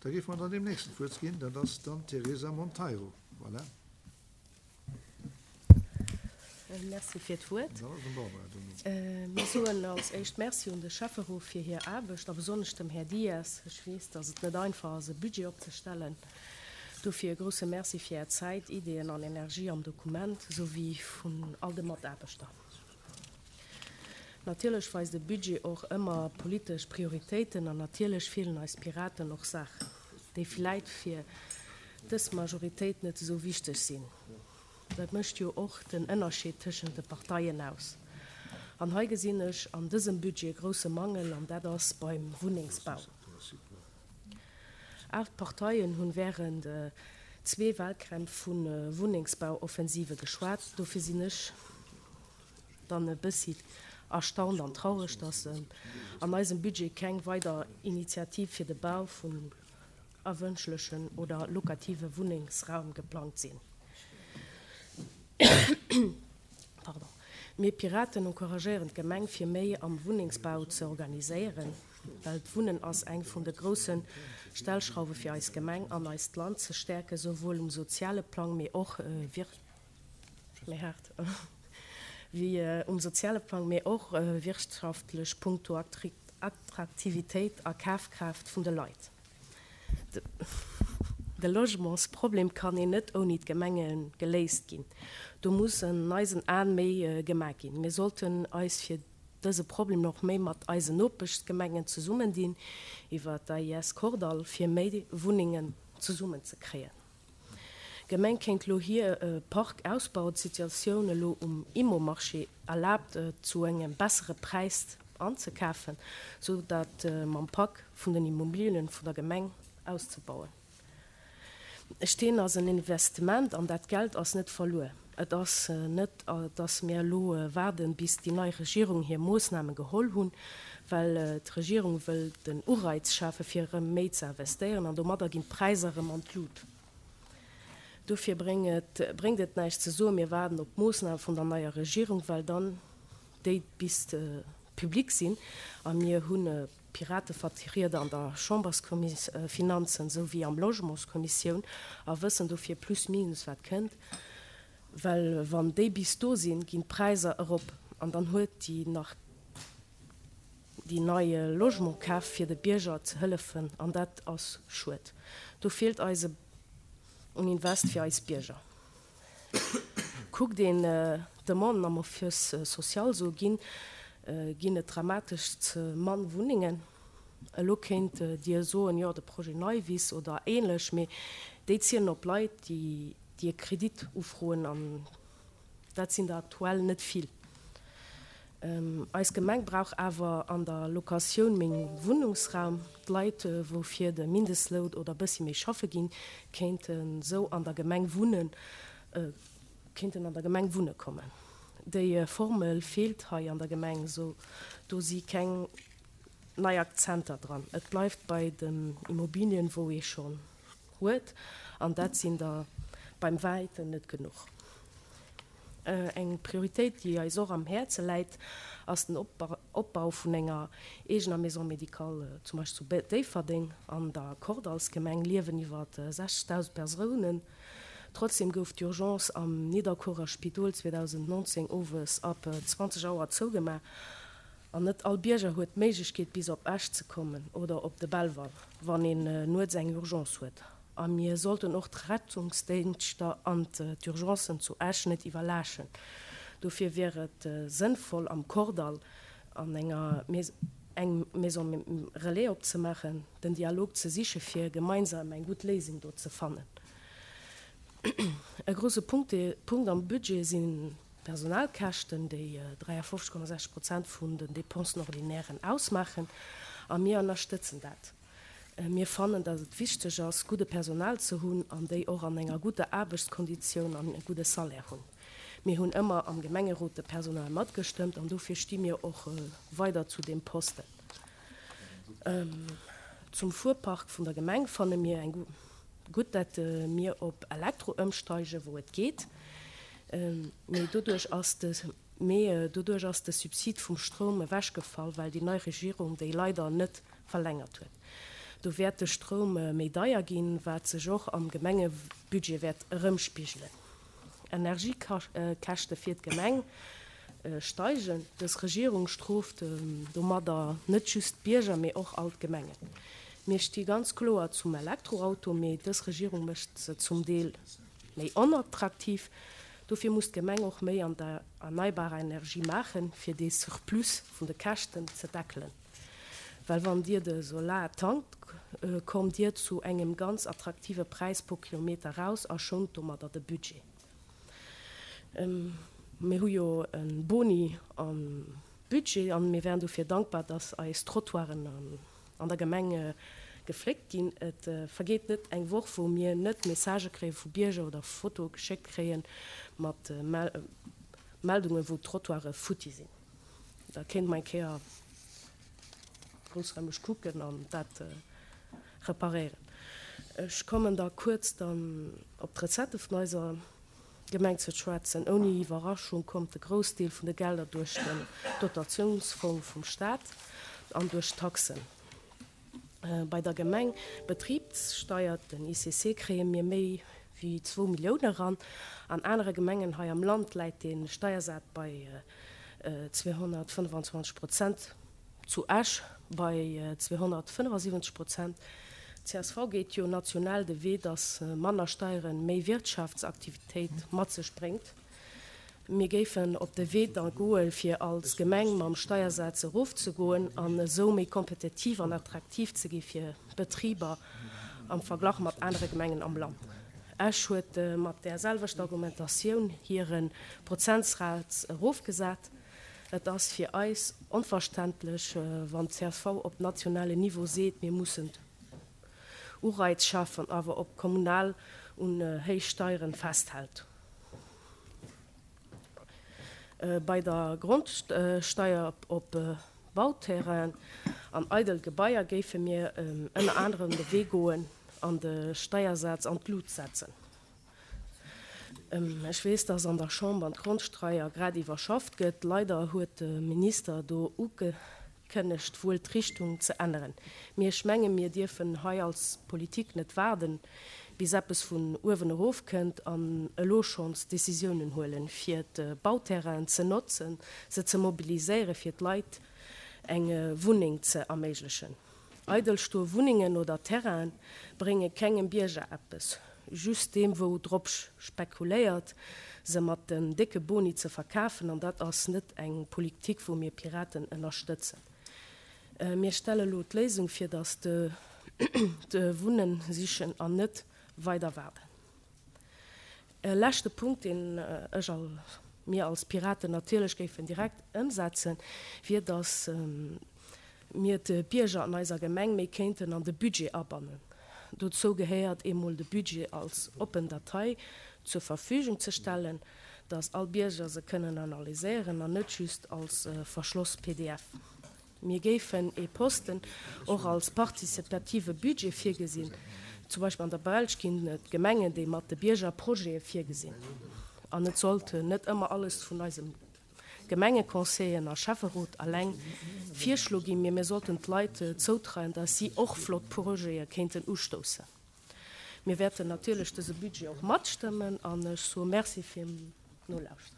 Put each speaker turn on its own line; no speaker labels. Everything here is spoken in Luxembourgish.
Da géife mer dann deem Nächsten d'Wuert ginn, dat ass dann d'Teresa Monteiro. Voilà.
Merci fir d'Wuert. Mir soen als éischt Merci un de Schäfferot fir hir Aarbecht a besonnesch dem Här Dias. Ech weess, datt et net einfach ass, e Budget opzestellen. Dofir e grousse Merci fir Är Zäit, Ideeën an Energie am Dokument, esou wéi vun all de Mataarbechter. Natierlech weist e Budget och ëmmer politesch Prioritéiten an natierlech feelen eis Piraten och Saachen, déi vläit fir dës Majoritéit net esou wichteg sinn. Dat mécht jo och den Ënnerscheed tëschent de Parteien aus. An hei gesinn ech an dësem Budget e grousse Mangel an dat ass beim Wunnengsbau. Aacht Parteien hunn wärend zwee Walkämpf vu Wunnengsbauoffensive geschwat. Dofir sinn ech dann e bëssi erstaunt an traureg, dass an eisem Budget keng weider Initiative fir de Bau vun erwënschlechen oder lokative Wunnengsraum geplangt sinn. Pardon. Mir Piraten encouragéieren d'Gemeng fir méi am Wunnengsbau ze organiséieren, well d'Wunnen ass eng vun de grousse Stellschrauwe fir eis Gemeng an eist Land ze stäerken, souwuel um soziale Plang, mee och méi haart wéi um soziale Plang, mee och wirtschaftlech punkto Attraktivitéit a Kafkraaft vun de Leit. De Logementsproblem kann een net ouni d'Gemenge geléist ginn. Do muss an eisen Aen méi gemaach ginn. Mir sollten eis fir dëse Problem och méi mat eisen Nopeschsgemengen zesummendinn, iwwer d'AIS Kordall, fir méi Wunnengen zesummenzekréien. D'Gemeng kéint lo hir Park ausbauen, d'Situatioun elo um Immomarché erlaabt et zu engem bessere Präis anzekafen, sou datt mam Pak vun den Immobilien vun der Gemeng auszebauen. Steen ass en Investement an dat Geld ass net verluer. Et ass net, datt mir elo waarden, bis déi nei Regierung hir Moossname geholl hunn, well d'Regierung wëll den Ureiz schafe fir erëm méi ze investéieren an domadder ginn d'Präisser erëm an d'Lut. Dofir bréngt et näischt ze soen, mir waarden op d'Moossname vun der neier Regierung, well dann déi bis public sinn a mir hu Piratevertrieder an der Chamberskommis Finanzen esou wéi am Logementskommissioun a wëssen dofir plus minus wat kënnt, well wann déi bis do sinn, ginn d'Präisser erop an dann huet déi nach déi nei Logement kaf fir de Bierger ze hëllefen an dat ass schued. Do feelt eis un Invest fir eis Bierger. Kuckt een d'Demanden am Office social, sou ginn ginn et dramatesch ze mann Wunnengen. Elo kéint Dir soen, jo de Projet Neiwiss oder ähnlech, mee déi zielen op Leit, déi déi e Kredit ufroen an dat sinn der aktuell net vill. Eis Gemeng brauch awer an der Locatioun méi Wunnungsraum. D'Leit, wou fir de Mindestloun oder bëssi méi schaffe ginn, kéinten sou an der Gemeng wunnen, kéinten an der Gemeng wunne kommen. Déi Formel feelt hei an der Gemeng, sou do si keng nei Akzenter dran. Et bleift bei den Immobilien, wou ee schonn huet, an dat sinn der beim wäiten net genuch. Eng Prioritéit, déi eis och am Häerze läit, ass den Opbau vun enger eegener Maison médicale, zum Beispill zu Déifferdeng. An der Kordallsgemeng liewen iwwer 60.000 Persounen. Trotzdem gouf d'Urgence am Nidderkuerer Spidol 2019 owes ab 20 Auer zougemaach an net all Bierger huet d'Méiglechkeet bis op Esch ze kommen oder op de Belval, wann een nuets eng Urgence huet. A mir sollten och d'Rettungsdéngschter an d'Urgencen zu Esch net iwwerlaaschen. Dofir wier et sënnvoll am Kordall an enger eng Maison relais opzemaachen, den Dialog ze siche fir gemeinsam eng gutt Léisung do ze fannen. E grouse Punkt am Budget sinn d'Personalkäschten, déi 53,6 Prozent vun den Dépensen ordinairen ausmaachen, a mir ënnerstëtzen dat. Mir fannen, datt et wichteg ass, gudde Personal ze hunn an déi och an enger gudder Aarbechtskonditioun an e gudde Salaire hunn. Mir hunn ëmmer am Gemengerot de Personal matgestëmmt an dofir sti mir och weider zu deem Posten. Zum Fuerpark vun der Gemeng fanne mir eng gutt, datt mir op Elektro ëmsteigen, wou et geet. Mee doduerch ass de. Mee doduerch ass de Subsid vum Stroum ewechgefall, well déi nei Regierung déi leider net verlängert huet. Do wäert de Stroum méi deier ginn, wat sech och am Gemengebudget wäert erëmspigelen. Energiekäschte fir d'Gemeng steigen. Dës Regierung strooft domadder net just d'Bierger, mee och all d'Gemengen. Mir sti ganz kloer zum Elektroauto, mee dës Regierung mécht se zum Deel méi onattraktiv. Dofir muss d'Gemeng och méi an der erneibarer Energie maachen, fir dee Surplus vun de Käschten ze deckelen. Well wann Dir de Solar tankt, kommt Dir zu engem ganz attraktive Präis pro Kilometer raus a schount domadder de Budget. Mir hu jo e Boni am Budget an mir wären dofir dankbar, dass eis Trottoiren an der Gemeng gefléckt ginn. Et vergeet net eng Woch, wou mir net Messagë kréie vu Bierger oder Fotoe geschéckt kréie mat Meldungen, wou d'Trottoire futti sinn. Da kéinte mer eng Kéier groussraimeg kucken an dat reparéieren. Ech kommen da kuerz dann op d'Recettë vun eiser Gemeng ze schwätzen. Ouni Iwwerraschung kommt de Groussdeel vun de Gelder duerch den Dotatiounsfong vum Staat an duerch d'Taxen. Bei der Gemeng Betribssteier, den ICC, kréie mir méi wéi zwou Millioune eran. An anere Gemengen hei am Land läit dee Steiersaz bei 225 Prozent, zu Esch bei 275 Prozent. Csv geet jo national de Wee, datt manner Steiere méi Wirtschaftsaktivitéit mat sech bréngt. Mir géifen op de Wee da goe fir als Gemeng mam Steiersaz erofzegoen an esou méi kompetitiv an attraktiv ze gi fir Betriber am Verglach mat anere Gemengen am Land. Esch huet mat där selwechter Argumentatioun hire Prozentsaz erofgesat. Et ass fir eis onverständlech, wann csv op nationale Niveau seet, mir mussen Ureiz schafen, awer op kommunal un héich Steieren festhält. Bei der Grondsteier op Bauterrainen an eidel Gebaier géife mir ënner anerem de Wee goen an de Steiersaz an d'Lut setzen. Ech weess, dass an der Chamber d'Grondsteier grad iwwerschafft gëtt. Leider huet de Minister do ugekënnegt, wuel d'Richtung ze änneren. Mee ech menge mir dierfen hei als Politik net waarden, bis eppes vun uewen erof kënnt an elo schonns Décisiounen huelen, fir d'Bauterrainen ze notzen, se ze mobiliséieren, fir d'Leit eng Wunneng ze erméiglechen. Eidel stoe Wunnengen oder Terrainen brénge kengem Bierger eppes, just deem wou drop spekuléiert se mat den décke Boni ze verkafen, an dat ass net eng Politik wou mir Piraten ënnerstëtzen. Mir stelle lo d'Léisung fir datt de Wunnen sichen an net weider waarden. E leschte Punkt, deen ech a mir als Piraten natierlech géifen direkt ëmsetzen, wier, dass mir d'Bierger an eiser Gemeng méi kéinten an de Budget abannen. Dozou gehéiert eemol de Budget als oppen Datei zur Verfügung ze stellen, dass all Bierger se kënnen analyséieren an net just als verschloss pdf. Mir géifen ee Posten och als partizipative Budget virgesinn. Zum Beispill an der Belsch ginn et Gemengen, déi mat de Bierger Projete virgesinn. An et sollt net ëmmer alles vun eisem Gemengeconseillen a Schäfferot alleng virschlo ginn, mee mir sollten d'Leit zoutreien, datt si och flott Projete kéinten ustoussen. Mir wäerten natierlech dëse Budget och matstëmmen an ech soe Merci fir d'Nolauschteren.